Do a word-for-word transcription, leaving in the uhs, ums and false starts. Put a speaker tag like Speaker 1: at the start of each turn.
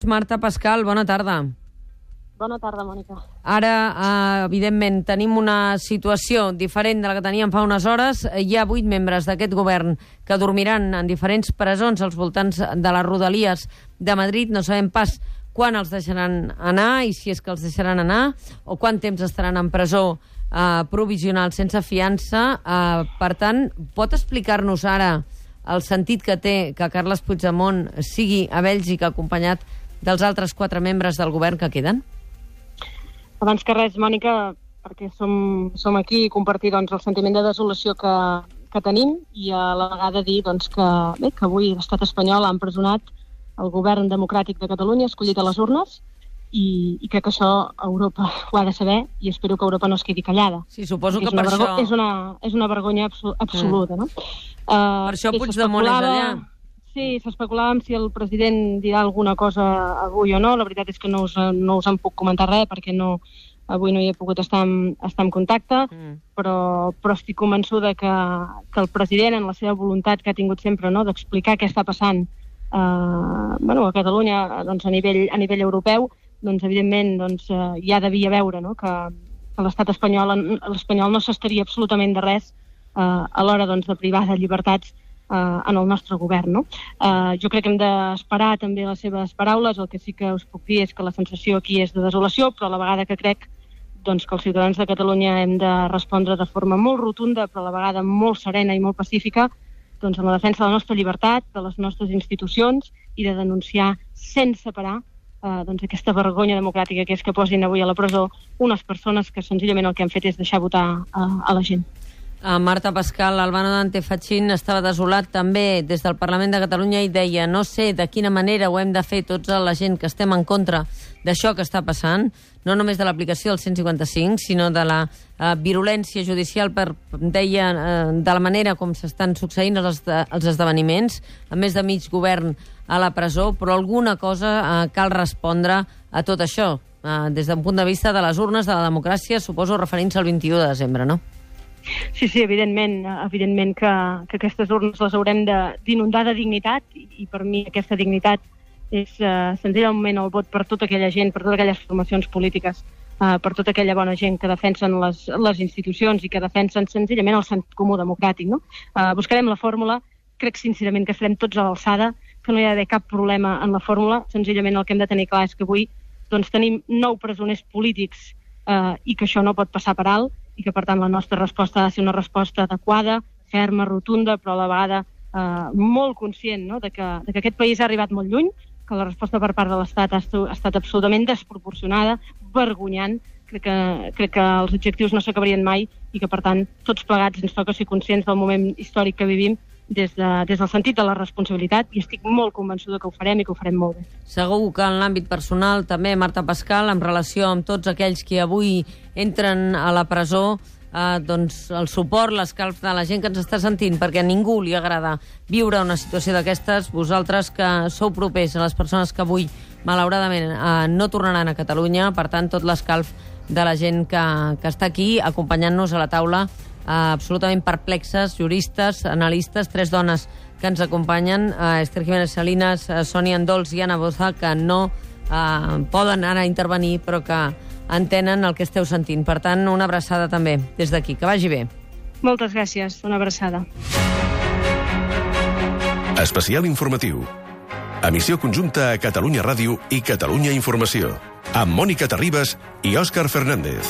Speaker 1: Marta Pascal, bona tarda.
Speaker 2: Bona tarda, Mònica.
Speaker 1: Ara, eh, evidentment, tenim una situació diferent de la que teníem fa unes hores. Hi ha vuit membres d'aquest govern que dormiran en diferents presons als voltants de les rodalies de Madrid. No sabem pas quan els deixaran anar i si és que els deixaran anar o quant temps estaran en presó eh, provisional sense fiança. Eh, per tant, pot explicar-nos ara el sentit que té que Carles Puigdemont sigui a Bèlgica acompanyat dels altres quatre membres del govern que queden?
Speaker 2: Abans que res, Mònica, perquè som, som aquí i compartir doncs, el sentiment de desolació que, que tenim i a la vegada dir doncs, que, bé, que avui l'estat espanyol ha empresonat el govern democràtic de Catalunya escollit a les urnes i, i crec que això Europa ho ha de saber i espero que Europa no es quedi callada.
Speaker 1: Sí, suposo que
Speaker 2: per
Speaker 1: per això...
Speaker 2: És una, és una vergonya abso absoluta, mm. no? Uh,
Speaker 1: per això Puigdemont és allà.
Speaker 2: Sí, s'especulava si el president dirà alguna cosa avui o no. La veritat és que no us, no us en puc comentar res perquè no, avui no hi he pogut estar en, estar en contacte, mm. però, però estic convençuda que, que el president, en la seva voluntat que ha tingut sempre, no, d'explicar què està passant eh, bueno, a Catalunya doncs, a, nivell, a nivell europeu, doncs, evidentment doncs, eh, ja devia veure no, que, que l'estat espanyol, l'espanyol no s'estaria absolutament de res eh, a l'hora doncs, de privar de llibertats Uh, en el nostre govern. No? Uh, jo crec que hem d'esperar també les seves paraules. El que sí que us puc dir és que la sensació aquí és de desolació, però a la vegada que crec doncs, que els ciutadans de Catalunya hem de respondre de forma molt rotunda, però a la vegada molt serena i molt pacífica, doncs, en la defensa de la nostra llibertat, de les nostres institucions i de denunciar sense parar uh, doncs, aquesta vergonya democràtica que és que posin avui a la presó unes persones que senzillament el que han fet és deixar votar uh, a la gent.
Speaker 1: A Marta Pascal, Albano Dante Fachin estava desolat també des del Parlament de Catalunya i deia no sé de quina manera ho hem de fer tots la gent que estem en contra d'això que està passant, no només de l'aplicació del cent i cinquanta-cinc, sinó de la uh, virulència judicial, per, deia, uh, de la manera com s'estan succeint els, els esdeveniments, amb més de mig govern a la presó, però alguna cosa uh, cal respondre a tot això, uh, des d'un punt de vista de les urnes, de la democràcia, suposo referint-se al vint-i-u de desembre, no?
Speaker 2: Sí, sí, evidentment, evidentment que, que aquestes urnes les haurem d'inundar de, de dignitat i, i per mi aquesta dignitat és uh, senzillament el vot per tota aquella gent, per totes aquelles formacions polítiques, uh, per tota aquella bona gent que defensen les, les institucions i que defensen senzillament el sentit comú democràtic. No? Uh, buscarem la fórmula, crec sincerament que estarem tots a l'alçada, que no hi ha d'haver cap problema en la fórmula, senzillament el que hem de tenir clar és que avui doncs, tenim nou presoners polítics uh, i que això no pot passar per alt, i que, per tant, la nostra resposta ha de ser una resposta adequada, ferma, rotunda, però a la vegada eh, molt conscient no? de, que, de que aquest país ha arribat molt lluny, que la resposta per part de l'Estat ha, ha estat absolutament desproporcionada, vergonyant. Crec que, crec que els objectius no s'acabarien mai i que, per tant, tots plegats ens toca ser conscients del moment històric que vivim des, de, des del sentit de la responsabilitat i estic molt convençuda que ho farem i que ho farem molt bé.
Speaker 1: Segur que en l'àmbit personal també, Marta Pascal, en relació amb tots aquells que avui entren a la presó, eh, doncs el suport, l'escalf de la gent que ens està sentint, perquè a ningú li agrada viure una situació d'aquestes. Vosaltres que sou propers a les persones que avui, malauradament, eh, no tornaran a Catalunya, per tant, tot l'escalf de la gent que, que està aquí acompanyant-nos a la taula, Uh, absolutament perplexes, juristes, analistes, tres dones que ens acompanyen, uh, Esther Jiménez Salinas, uh, Sònia Andols i Anna Boza, que no uh, poden ara intervenir, però que entenen el que esteu sentint. Per tant, una abraçada també des d'aquí. Que vagi bé.
Speaker 2: Moltes gràcies. Una abraçada.
Speaker 3: Especial informatiu. Emissió conjunta a Catalunya Ràdio i Catalunya Informació. Amb Mònica Terribas i Òscar Fernández.